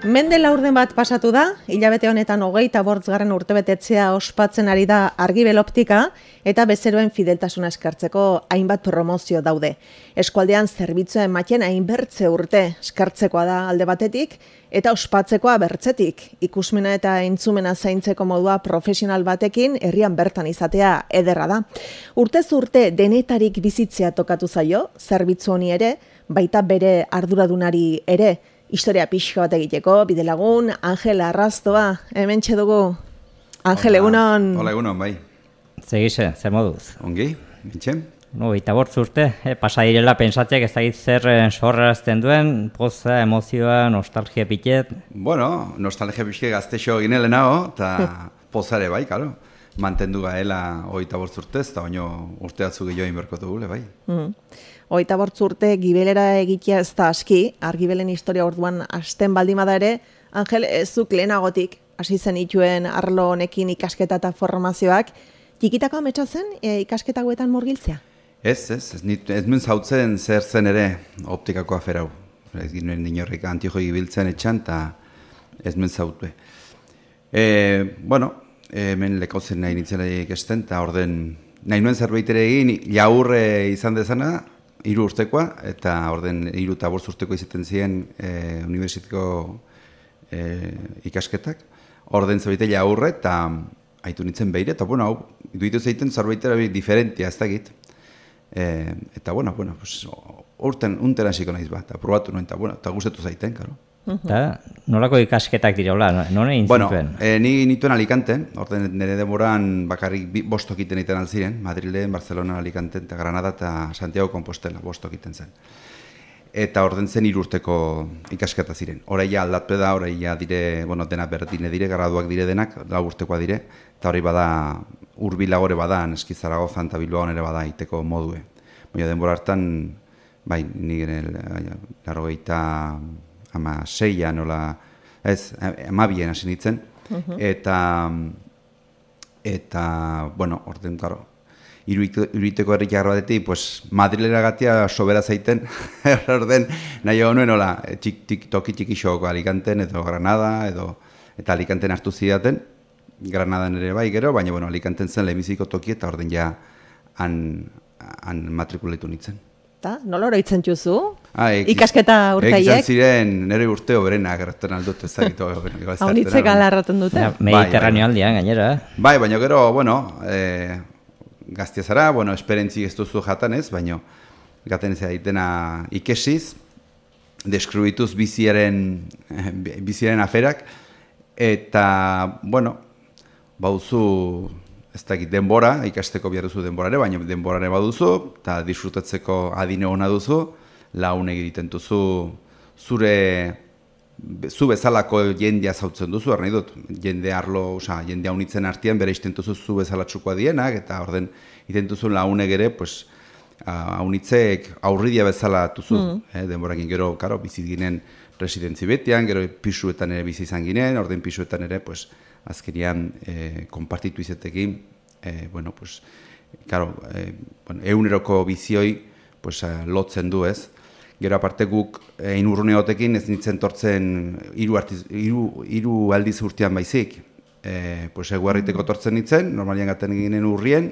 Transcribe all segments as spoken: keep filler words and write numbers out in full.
Mende laurden bat pasatu da, hilabete honetan hogeita bortzgarren urtebetetzea ospatzen ari da Argibel Optika eta bezeroen fideltasuna eskartzeko hainbat promozio daude. Eskualdean zerbitzua ematen hainbertze urte eskartzekoa da alde batetik eta ospatzekoa bertzetik. Ikusmena eta entzumena zaintzeko modua profesional batekin herrian bertan izatea ederra da. Urtez urte denetarik bizitzea tokatu zaio, zerbitzu honi ere, baita bere arduradunari ere. Historia pixka bat egiteko, bidelagun, Angel Arrastoa, hementxe dugu. Angel, egunon. Hola, egunon, bai. Segize, zer moduz? Ongi, mitxen? No, eta bortz urte, eh, pasa direla pensatzeak ez dakit zer sorrarazten duen, poza, emozioa, nostalgia pitet. Bueno, nostalgia pitet gaztexo ginele nago, eta pozare bai, karo. Mantendu gaela hogeita bortz urtez, eta baino urte atzu gehiago inberko dugule, bai. Mm. Hogeita bortz urte gibelera egitea ez da aski, Argibelen historia orduan hasten baldimada ere, Angel, zuk lehenagotik hasi zen ituen arlo honekin ikasketa eta formazioak, txikitako ametsa zen e, ikasketagoetan murgiltzea? Ez, ez, ez, ez nuen zautzen zer zen ere optikako aferau. Ez ginen inorrik antiojoi gibiltzen etxan, eta ez nuen zautue. E, bueno, hemen lekautzen nahi nintzen ikasten, eta orden nahi nuen zerbait ere egin, jaurre izan dezana, hiru urtekoa, eta orden hiru eta bost urteko izaten ziren e, unibertsitiko e, ikasketak. Orden zerbait jaurre, eta haitu nintzen behire, eta bueno, hau, iduitu zeiten zerbait ere diferentia, ez da egit. E, eta bueno, bueno, pues, urten, unten hasiko naiz bat, eta probatu nuen, eta bueno, eta gustatu zaiten, karo. Eta nolako ikasketak dira, non egin bueno, zituen? E, ni nituen Alicanten, orden nire demoran bakarrik bostok iten iten alziren, Madrilen, Barcelona, Alicanten, eta Granada eta Santiago Compostela bostok iten zen. Eta orden zen irurteko ikasketa ziren. Horaia aldatpe da, horaia dire, bueno, dena berdine dire, graduak dire denak, lau urtekoa dire, eta hori bada, urbilagore bada, neski Zaragoza eta Bilbao ere bada iteko modue. Baina denbora hartan, bai, nire larrogeita ama seian, nola, ez, amabien hasi nintzen, uh-huh. eta, eta, bueno, orden, karo, iruiteko herrik jarro batetik, pues, Madrilera gatia sobera zaiten, orden, nahi hau nuen, nola, txik, txik, toki txiki xoko Alicanten, edo Granada, edo, eta Alicanten hartu zidaten, Granadan ere bai gero, baina, bueno, Alicanten zen lehenbiziko toki, eta orden ja, han, han matrikuletu nintzen. Ta, nola oroitzen txuzu? Ah, ikasketa urtaiek? Egizan ziren nire urteo berenak erretzen aldut ezagitu. Haunitzek alarraten dute? Ja, Mediterraneo aldean, gainera. Bai, baina gero, bueno, e, gaztia zara, bueno, esperentzi ez duzu jatan ez, baina gaten ez daitena ikesiz, deskribituz biziaren, biziaren aferak, eta, bueno, bauzu, ez dakit denbora, ikasteko behar duzu denborare, baina denborare baduzu, eta disfrutatzeko adine hona duzu, laun egiten duzu zure, zu bezalako jendea zautzen duzu, arnahi dut, jende arlo, oza, jende haunitzen artean bere izten duzu zu bezalatxukoa dienak, eta orden iten duzu launek ere, pues, haunitzek aurridia bezala duzu, mm. eh, denborakin gero, karo, bizit ginen residentzi betian, gero pisuetan ere bizi izan ginen, orden pisuetan ere, pues, azkerian eh, konpartitu izatekin, eh, bueno, pues, claro, eh, bueno, euneroko bizioi pues, eh, lotzen du ez. Gero aparte guk eh, inurrune hotekin ez nintzen tortzen hiru hiru hiru aldiz urtean baizik. Eh, pues, eguarriteko tortzen nintzen, normalian gaten ginen urrien,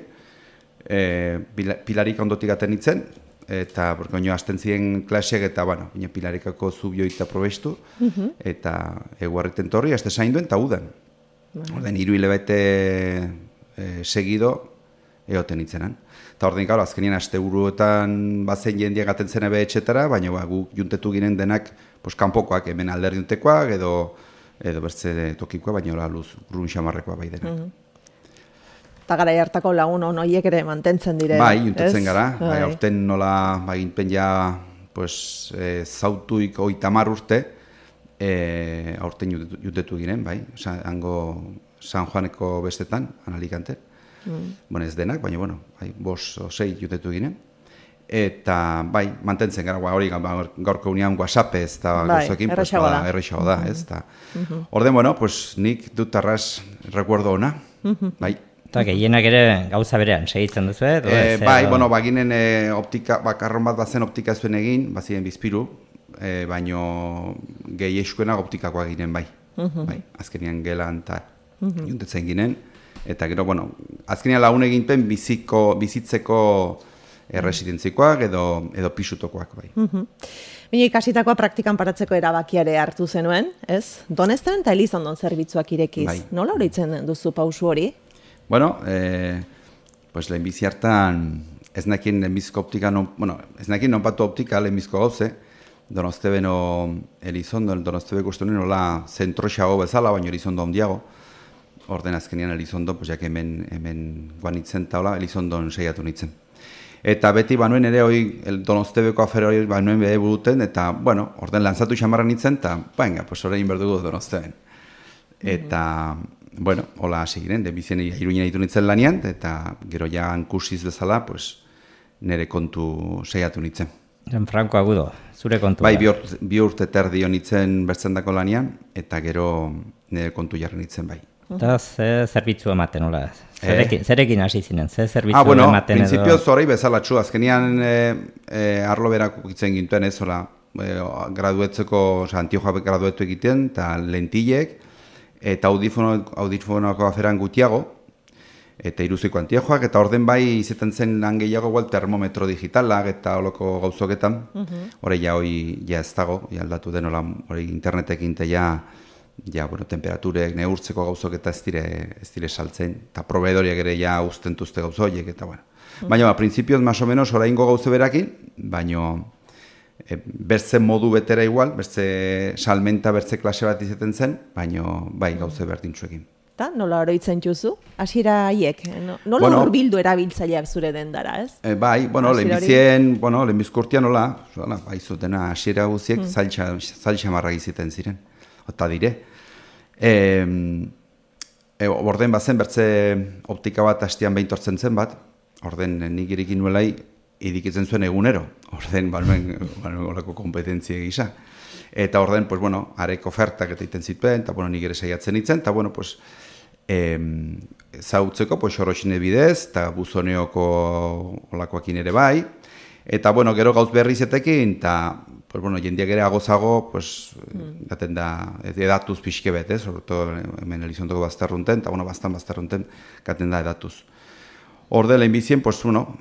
eh, pilarik ondotik gaten nintzen, eta oino hasten ziren klaseak eta, bueno, pilarikako zubioita probestu, uh-huh. eta eguarriten torri, haste zainduen eta udan. Orden, hiru hilabete e, segido egoten nintzenan. Eta orden, gara, azkenien aste buruetan bazen jendia gaten zen ebe etxetara, baina ba, guk juntetu ginen denak pues, kanpokoak, hemen alderduntekoak, edo, edo bertze tokikoa, baina hola luz, grun xamarrekoa bai denak. Mm-hmm. Eta gara hartako lagun horiek ere mantentzen dire. Bai, juntetzen gara, bai, aurten nola, bai, ginpen ja, pues, e, zautuik oitamar urte, E, aurten jutetu ginen, bai, Osa, hango San Juaneko bestetan, Alicanten, mm. bueno, ez denak, baina, bueno, bai, bos o sei jutetu ginen, eta, bai, mantentzen gara, hori gaurko unian WhatsAppez, eta bai, gozoekin, errexago da, errexago da, ez, eta, mm-hmm. orden, bueno, pues, nik dut arras recuerdo ona, mm-hmm. bai. Eta gehienak ere gauza berean, segitzen duzu, eh? E, bai, bueno, baginen e, optika, bakarron bat bazen optika zuen egin, bazien bizpiru, E, baino gehi eskuena optikakoak ginen bai. Uh-huh. Bai, azkenean gelan eta uh-huh. juntetzen ginen. Eta gero, bueno, azkenean lagun eginten biziko, bizitzeko erresidentzikoak edo, edo pisutokoak bai. Uh-huh. Baina ikasitakoa praktikan paratzeko erabakiare hartu zenuen, ez? Donesten eta Elizondon zerbitzuak irekiz. Bai. Nola horitzen duzu pausu hori? Bueno, eh, pues lehenbizi hartan ez nakien lehenbizko optika, non, bueno, ez nakien nonpatu optika lehenbizko gauze, Donostebeno Elizondo, Donostebe guztunen nola zentroxago bezala, baina Elizondo ondiago. Orden azkenean Elizondo, pues jak hemen, hemen guanitzen taula, Elizondon seiatu nintzen. Eta beti banuen ere hori Donostebeko afera hori banuen bere buruten, eta, bueno, orden lanzatu xamarra nintzen, eta, venga, pues horrein berdugu Donosteben. Eta, mm-hmm. bueno, hola hasi giren, de bizien iruinen ditu nintzen lanian, eta gero ja hankusiz bezala, pues, nire kontu seiatu nintzen. Franco Agudo, zure kontu. Bai, bi, urte, bi urte terdi honitzen bertzendako lanian, eta gero nire kontu jarri nintzen bai. Eta ze zerbitzu ematen, hola? Zerekin, zerekin hasi zinen, ze zerbitzu ah, bueno, ematen edo? Ah, bueno, prinsipioz horrei bezalatxu, azkenian e, e, arlo berak ukitzen gintuen ez, hola, e, graduetzeko, oza, Antiojoa graduetu egiten, eta lentillek, eta audifono, audifonoko aferan gutiago, eta iruziko Antiojoak, eta orden bai izaten zen lan gehiago igual termometro digitalak eta holoko gauzoketan, hori uh-huh. ja hori ja ez dago, ja aldatu den hori internetekin eta ja, ja, bueno, temperaturek neurtzeko gauzoketa ez dire, ez dire saltzen, eta proveedoriak ere ja ustentuzte gauzoiek, eta bueno. Uh-huh. Baina, ba, prinsipioz, más o menos, oraingo gauze berakin, baina e, bertze modu betera igual, bertze salmenta, bertze klase bat izaten zen, baina bai gauze berdintzuekin. Eta nola oroitzen juzu? Hasiera haiek, nola bueno, urbildu erabiltzaileak zure dendara, ez? E, bai, bueno, lehenbizien, bueno, lehenbizko urtean nola, bai zutena hasiera guziek hmm. zailtxa marra giziten ziren, eta dire. E, e, orden bazen bertze optika bat hastian behintortzen zen bat, orden nik irikin nuelai idikitzen zuen egunero, orden balmen olako kompetentzia gisa. Eta orden, pues bueno, arek ofertak eta iten zituen, eta bueno, nik ere saiatzen itzen, eta bueno, pues, Eh, zautzeko, pues, xoroxine bidez, eta buzoneoko olakoakin ere bai. Eta, bueno, gero gauz berri zetekin, eta, pues, bueno, jendiak ere agozago, pues, mm. gaten da, edatuz pixke bet, ez, sobre todo, hemen Elizondoko bazterrunten, eta, bueno, bastan bazterrunten, gaten da edatuz. Horde, lehenbizien, pues, bueno,